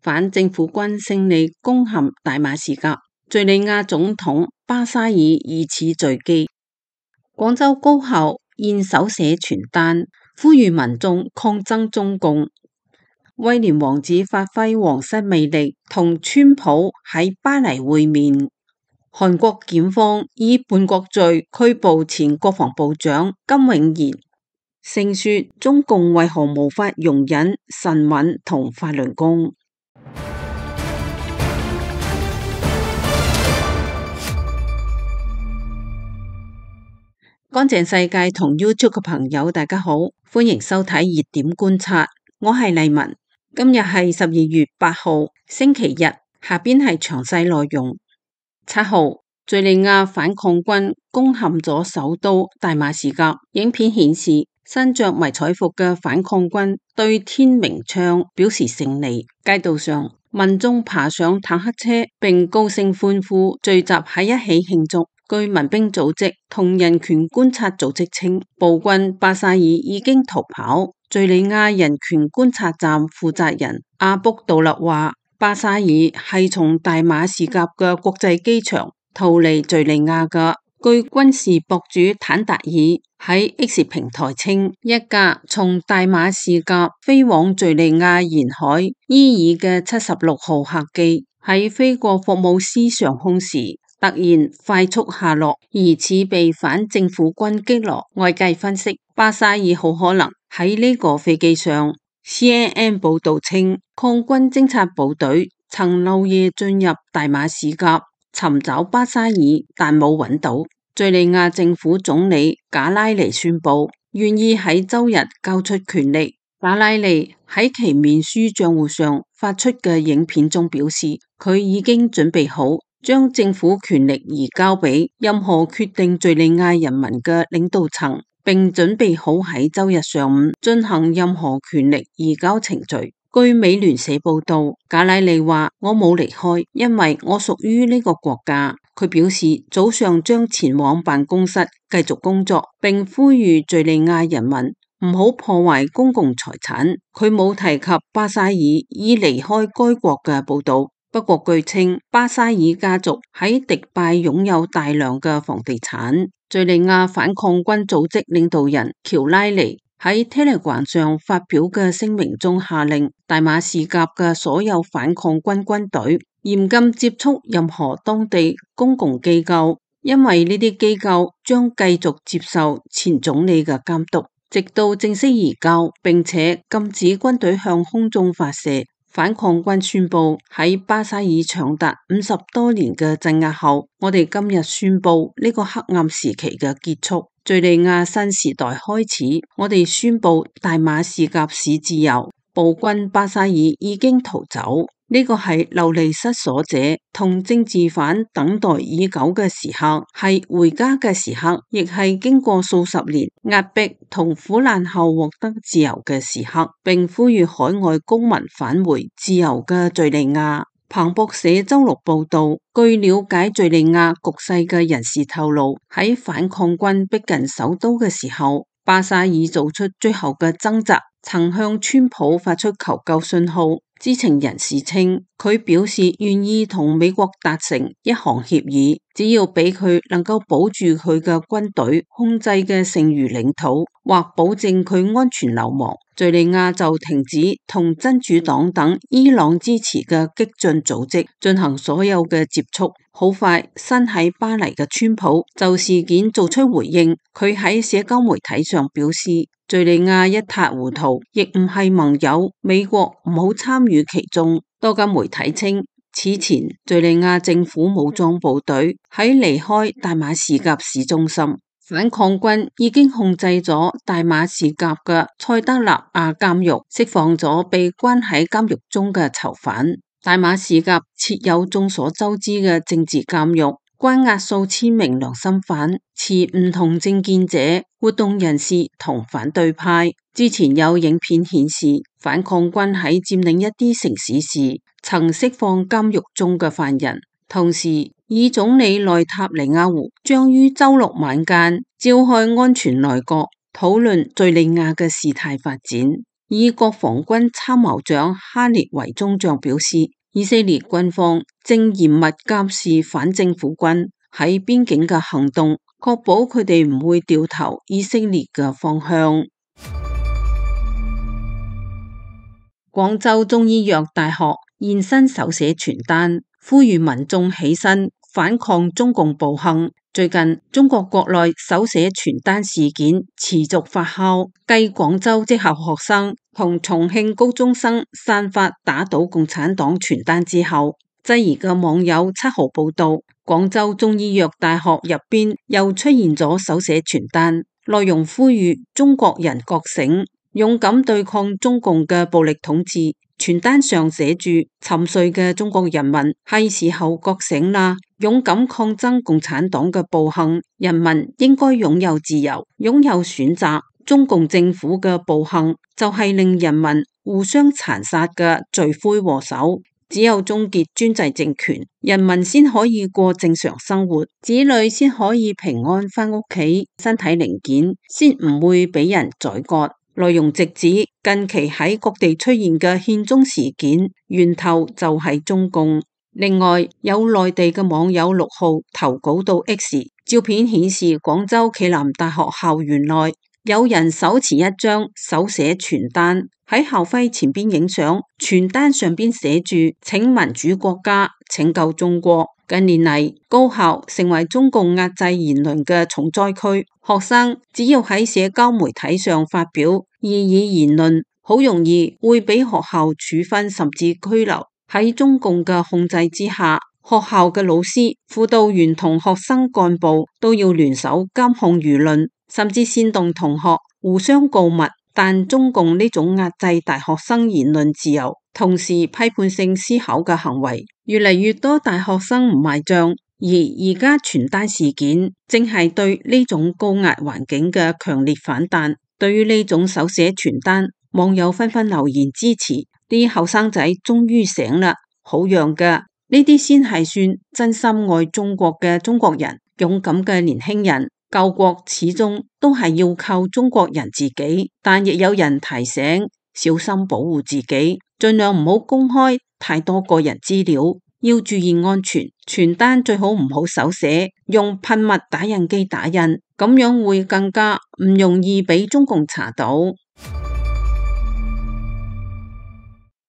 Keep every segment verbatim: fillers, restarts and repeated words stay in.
反政府軍勝利攻陷大馬士革，敘利亞總統巴沙爾疑似墜機。廣州高校現手寫傳單，呼籲民眾抗爭中共。威廉王子發揮皇室魅力，同川普喺巴黎會面。韓國檢方以叛國罪拘捕前國防部長金永賢。盛說中共為何無法容忍神韻同法輪功？乾淨世界同 YouTube 嘅朋友大家好，歡迎收睇熱點觀察，我係麗文。今日係十二月八號星期日，下邊係詳細內容。七號，敘利亞反抗軍攻陷咗首都大馬士革。影片顯示，身着迷彩服嘅反抗軍對天鳴槍表示勝利。街道上，民眾爬上坦克車並高聲歡呼，聚集喺一起慶祝。據民兵組織同人權觀察組織稱，暴君巴沙爾已經逃跑。敘利亞人權觀察站負責人阿卜杜勒話，巴沙爾係從大馬士革嘅國際機場逃離敘利亞嘅。據軍事博主坦達爾喺 X 平台稱，一架從大馬士革飛往敘利亞沿海伊爾嘅七十六號客機喺飛過霍姆斯上空時突然快速下落，疑似被反政府軍擊落。外界分析，巴沙爾好可能喺呢個飛機上。C N N 報道稱，抗軍偵察部隊曾漏夜進入大馬士革尋找巴沙爾，但冇揾到。敘利亞政府總理賈拉尼宣布願意喺周日交出權力。賈拉尼喺其面書賬戶上發出嘅影片中表示，佢已經準備好將政府權力移交俾任何決定敘利亞人民嘅領導層，並準備好喺周日上午進行任何權力移交程序。據美聯社報道，賈拉尼話：我冇離開，因為我屬於呢個國家。佢表示早上將前往辦公室繼續工作，並呼籲敘利亞人民唔好破壞公共財產。佢冇提及巴沙爾已離開該國嘅報道。不過據稱，巴沙爾家族喺迪拜擁有大量嘅房地產。敘利亞反抗軍組織領導人喬拉尼喺 Telegram 上發表嘅聲明中下令大馬士革嘅所有反抗軍軍隊嚴禁接觸任何當地公共機構，因為呢啲機構將繼續接受前總理嘅監督，直到正式移交，並且禁止軍隊向空中發射。反抗軍宣布喺巴沙爾長達五十多年嘅鎮壓後，我哋今日宣布呢個黑暗時期嘅結束，敘利亞新時代開始。我哋宣布大馬士革市自由，暴君巴沙爾已經逃走。呢個係流離失所者同政治犯等待已久嘅時刻，係回家嘅時刻，亦係經過數十年壓迫同苦難後獲得自由嘅時刻，並呼籲海外公民返回自由嘅敘利亞。彭博社周六報道，據了解敘利亞局勢嘅人士透露，喺反抗軍逼近首都嘅時候，巴沙爾做出最後嘅掙扎，曾向川普發出求救信號。知情人士稱，佢表示願意同美國達成一項協議，只要俾佢能夠保住佢嘅軍隊控制嘅剩餘領土，或保證佢安全流亡，敘利亞就停止同真主黨等伊朗支持嘅激進組織進行所有嘅接觸。好快，身喺巴黎嘅川普就事件做出回應，佢喺社交媒體上表示，敘利亞一塌糊塗，亦唔係盟友，美國唔好參與其中。多間媒體稱，此前敘利亞政府武裝部隊喺離開大馬士革市中心，反抗軍已經控制咗大馬士革嘅塞德納亞監獄，釋放咗被關喺監獄中嘅囚犯。大馬士革設有眾所周知嘅政治監獄，關押數千名良心犯、持唔同政見者、活動人士同反對派。之前有影片顯示，反抗軍喺佔領一啲城市時，曾釋放監獄中嘅犯人。同時，以總理內塔尼亞胡將於周六晚間召開安全內閣，討論敘利亞嘅事態發展。以國防軍參謀長哈列為中將表示，以色列軍方正嚴密監視反政府軍喺邊境嘅行動，確保佢哋唔會掉頭以色列嘅方向。廣州中醫藥大學現身手寫傳單，呼籲民眾起身反抗中共暴行。最近中國國內手寫傳單事件持續發酵，繼廣州職校學生同重慶高中生散發打倒共產黨傳單之後，質疑嘅網友七號報道，廣州中醫藥大學入邊又出現咗手寫傳單，內容呼籲中國人覺醒，勇敢對抗中共嘅暴力統治。傳單上寫住：沉睡嘅中國人民，係時候覺醒啦，勇敢抗爭共產黨嘅暴行，人民應該擁有自由，擁有選擇。中共政府嘅暴行就係令人民互相殘殺嘅罪魁禍首。只有終結專制政權，人民先可以過正常生活，子女先可以平安返屋企，身體零件先唔會俾人宰割。內容直指近期喺各地出現嘅獻中事件源頭就係中共。另外，有內地嘅網友六號投稿到 X， 照片顯示廣州暨南大學校園內有人手持一張手寫傳單喺校徽前邊影相，傳單上邊寫住請民主國家拯救中國。近年嚟，高校成為中共壓制言論嘅重災區，學生只要喺社交媒體上發表異議言論，好容易會俾學校處分甚至拘留。喺中共嘅控制之下，學校嘅老師、輔導員同學生幹部都要聯手監控輿論，甚至煽動同學互相告密。但中共呢種壓制大學生言論自由，同時批判性思考嘅行為，越嚟越多大學生唔買賬。而而家傳單事件正係對呢種高壓環境嘅強烈反彈。對於呢種手寫傳單，網友紛紛留言支持。啲後生仔終於醒啦，好樣㗎！呢啲先係算真心愛中國嘅中國人，勇敢嘅年輕人。救國始終都係要靠中國人自己，但亦有人提醒小心保護自己，盡量唔好公開太多個人資料，要注意安全。傳單最好唔好手寫，用噴墨打印機打印，咁樣會更加唔容易俾中共查到。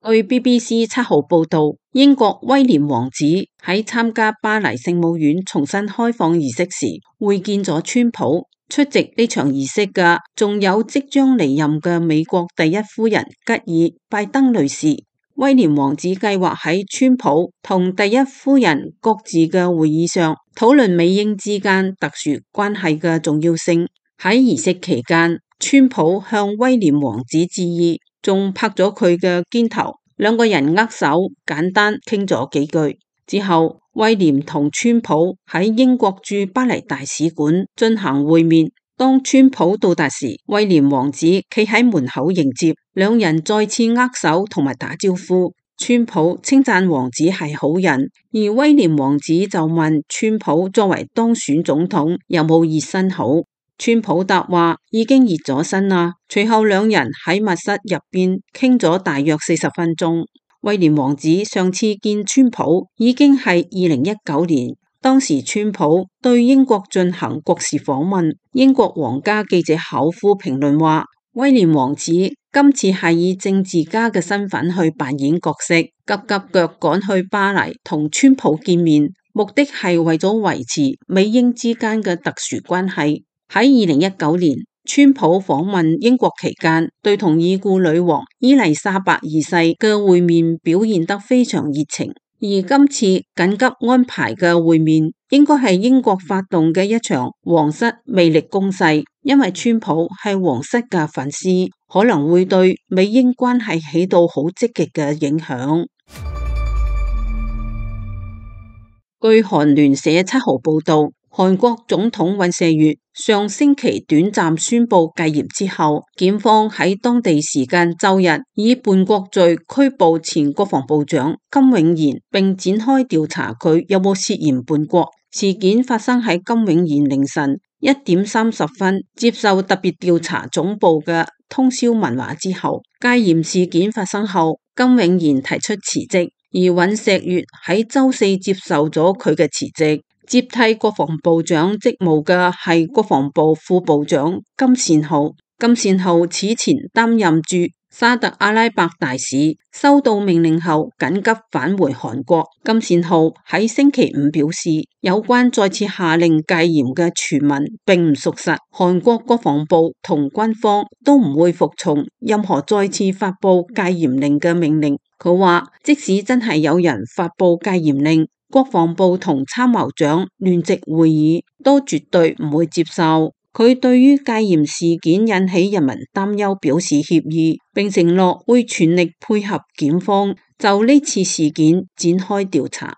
據 B B C 七號報道，英國威廉王子喺參加巴黎聖母院重新開放儀式時會見咗川普。出席呢場儀式嘅仲有即將離任嘅美國第一夫人吉爾拜登女士。威廉王子計劃喺川普同第一夫人各自嘅會議上討論美英之間特殊關係嘅重要性。喺儀式期間，川普向威廉王子致意，仲拍咗佢嘅肩頭，兩個人握手，簡單傾咗幾句之後，威廉同川普喺英國駐巴黎大使館進行會面。當川普到達時，威廉王子企喺門口迎接，兩人再次握手同埋打招呼。川普稱讚王子係好人，而威廉王子就問川普作為當選總統有冇熱身好。川普答話已經熱咗身啦。隨後兩人喺密室入邊傾咗大約四十分鐘。威廉王子上次見川普已經係二零一九年，當時川普對英國進行國事訪問。英國皇家記者考夫評論話，威廉王子今次係以政治家嘅身份去扮演角色，急急腳趕去巴黎同川普見面，目的係為咗維持美英之間嘅特殊關係。喺二零一九年，川普訪問英國期間，對同已故女王伊麗莎白二世嘅會面表現得非常熱情。而今次緊急安排嘅會面，應該係英國發動嘅一場皇室魅力攻勢，因為川普係皇室嘅粉絲，可能會對美英關係起到好積極嘅影響。據韓聯社七號報道，韓國總統尹錫悅上星期短暫宣布戒嚴之後，檢方喺當地時間周日以叛國罪拘捕前國防部長金永賢，並展開調查佢有冇涉嫌叛國。事件發生喺金永賢凌晨一點三十分接受特別調查總部嘅通宵文華之後，戒嚴事件發生後，金永賢提出辭職，而尹錫悅喺周四接受咗佢嘅辭職，接替國防部長職務嘅係國防部副部長金善浩。金善浩此前擔任駐沙特阿拉伯大使，收到命令後緊急返回韓國。金善浩喺星期五表示，有關再次下令戒嚴嘅傳聞並唔屬實，韓國國防部同軍方都唔會服從任何再次發布戒嚴令嘅命令。佢話，即使真係有人發布戒嚴令，國防部同參謀長聯席會議都絕對唔會接受。佢對於戒嚴事件引起人民擔憂表示歉意，並承諾會全力配合檢方就呢次事件展開調查。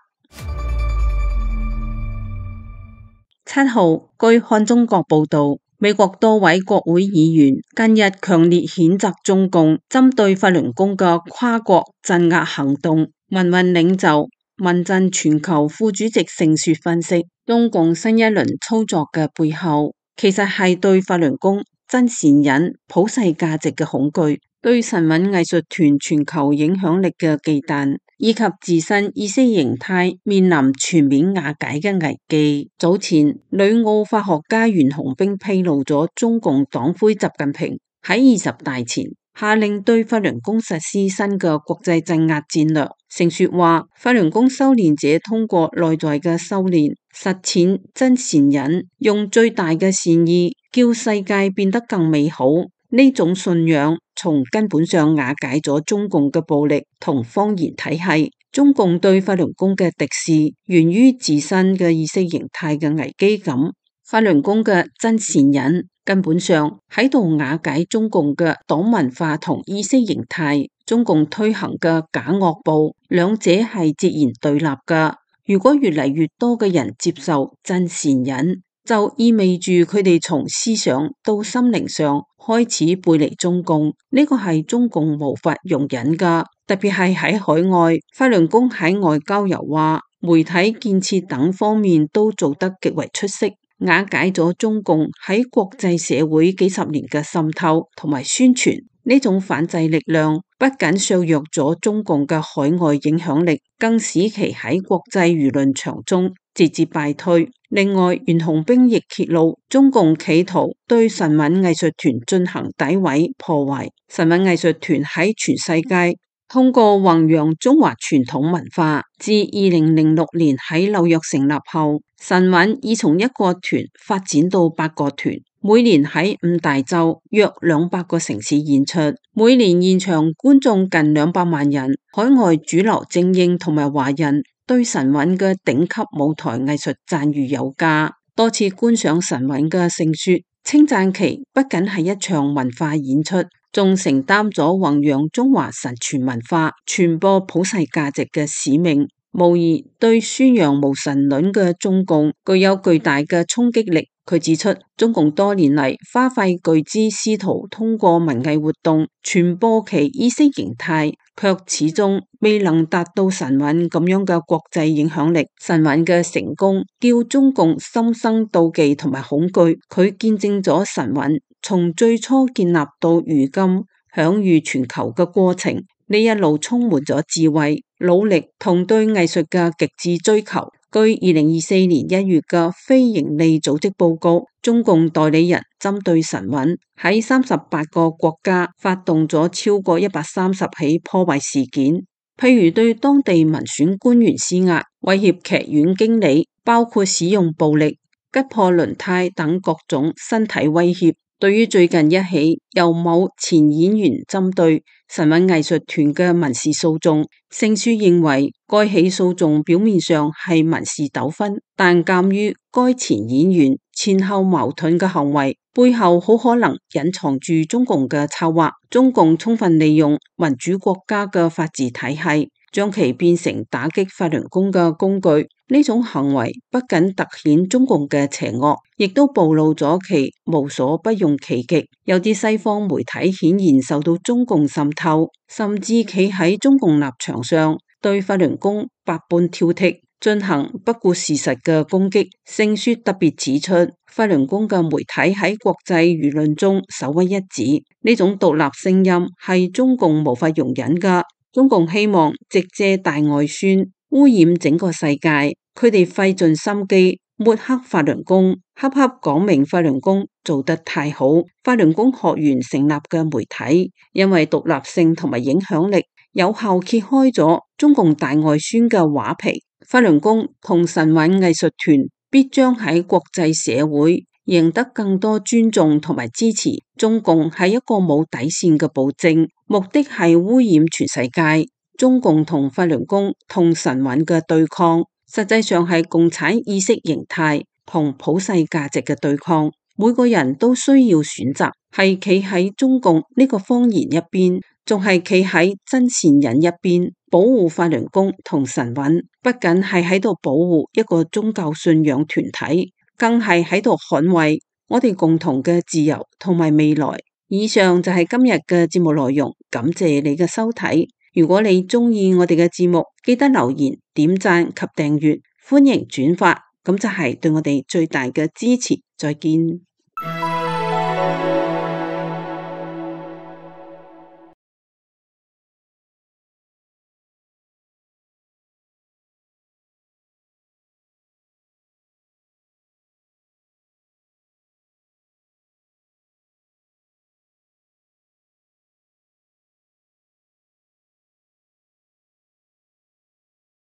七號，據看中國報道，美國多位國會議員近日強烈譴責中共針對法輪功嘅跨國鎮壓行動。民運領袖民陣全球副主席盛雪分析，中共新一輪操作嘅背後，其實係對法輪功真善忍普世價值嘅恐懼，對神韻藝術團全球影響力嘅忌憚，以及自身意識形態面臨全面瓦解嘅危機。早前，旅澳法學家袁洪兵披露咗中共黨魁習近平喺二十大前下令對法輪功實施新嘅國際鎮壓戰略。盛雪話，法輪功修煉者通過內在嘅修煉，實踐真善忍，用最大嘅善意叫世界變得更美好。呢種信仰從根本上瓦解咗中共嘅暴力同謊言體系。中共對法輪功嘅敵視源於自身嘅意識形態嘅危機感。法輪功嘅真善忍根本上喺度瓦解中共嘅黨文化同意識形態。中共推行嘅假惡報，兩者係截然對立㗎。如果越嚟越多嘅人接受真善忍，就意味住佢哋從思想到心靈上開始背離中共，呢個係中共無法容忍㗎。特別係喺海外，法輪功喺外交、油畫、媒體建設等方面都做得極為出色，瓦解咗中共喺國際社會幾十年嘅滲透同埋宣傳。呢種反制力量不僅削弱咗中共嘅海外影響力，更使其喺國際輿論場中節節敗退。另外，袁洪兵亦揭露，中共企圖對神韻藝術團進行詆毀破壞。神韻藝術團喺全世界通過弘揚中華傳統文化，自二零零六年喺紐約成立後，神韻已從一個團發展到八個團，每年喺五大洲約兩百個城市演出，每年現場觀眾近兩百萬人。海外主流精英同埋華人對神韻嘅頂級舞台藝術讚譽有加，多次觀賞神韻嘅盛雪稱讚其不僅係一場文化演出，仲承擔咗弘揚中華神傳文化、傳播普世價值嘅使命，無疑對宣揚無神論嘅中共具有巨大嘅衝擊力。佢指出，中共多年嚟花費巨資試圖通過文藝活動傳播其意識形態，卻始終未能達到神韻咁樣嘅國際影響力。神韻嘅成功叫中共心生妒忌同埋恐懼，佢見證咗神韻從最初建立到如今享譽全球嘅過程，呢一路充滿咗智慧、努力同對藝術嘅極致追求。據二零二四年一月嘅非營利組織報告，中共代理人針對神韻喺三十八個國家發動咗超過一百三十起破壞事件，譬如對當地民選官員施壓、威脅劇院經理，包括使用暴力、擊破輪胎等各種身體威脅。對於最近一起由某前演員針對神韻藝術團嘅民事訴訟，盛雪認為該起訴訟表面上係民事糾紛，但鑒於該前演員前後矛盾嘅行為，背後好可能隱藏住中共嘅策劃。中共充分利用民主國家嘅法治體系，將其變成打擊法輪功嘅工具。呢種行為不僅凸顯中共嘅邪惡，亦都暴露咗其無所不用其極。有啲西方媒體顯然受到中共滲透，甚至企喺中共立場上對法輪功百般挑剔。進行不顧事實嘅攻擊。聖書特別指出，法輪功嘅媒體喺國際輿論中首屈一指，呢種獨立聲音係中共無法容忍噶。中共希望藉借大外宣污染整個世界，佢哋費盡心機抹黑法輪功，恰恰講明法輪功做得太好。法輪功學員成立嘅媒體，因為獨立性同埋影響力，有效揭開咗中共大外宣嘅畫皮。法輪功同神韻藝術團必將喺國際社會贏得更多尊重同埋支持。中共係一個冇底線嘅暴政，目的係污染全世界。中共同法輪功同神韻嘅對抗，實際上係共產意識形態同普世價值嘅對抗。每個人都需要選擇，係企喺中共呢個謊言一邊，仲係企喺真善忍一邊，保護法輪功同神韻，不僅係喺度保護一個宗教信仰團體，更係喺度捍衛我哋共同嘅自由同埋未來。以上就係今日嘅節目內容，感謝你嘅收睇。如果你鍾意我哋嘅節目，記得留言、點讚及訂閱，歡迎轉發，咁就係對我哋最大嘅支持。再見。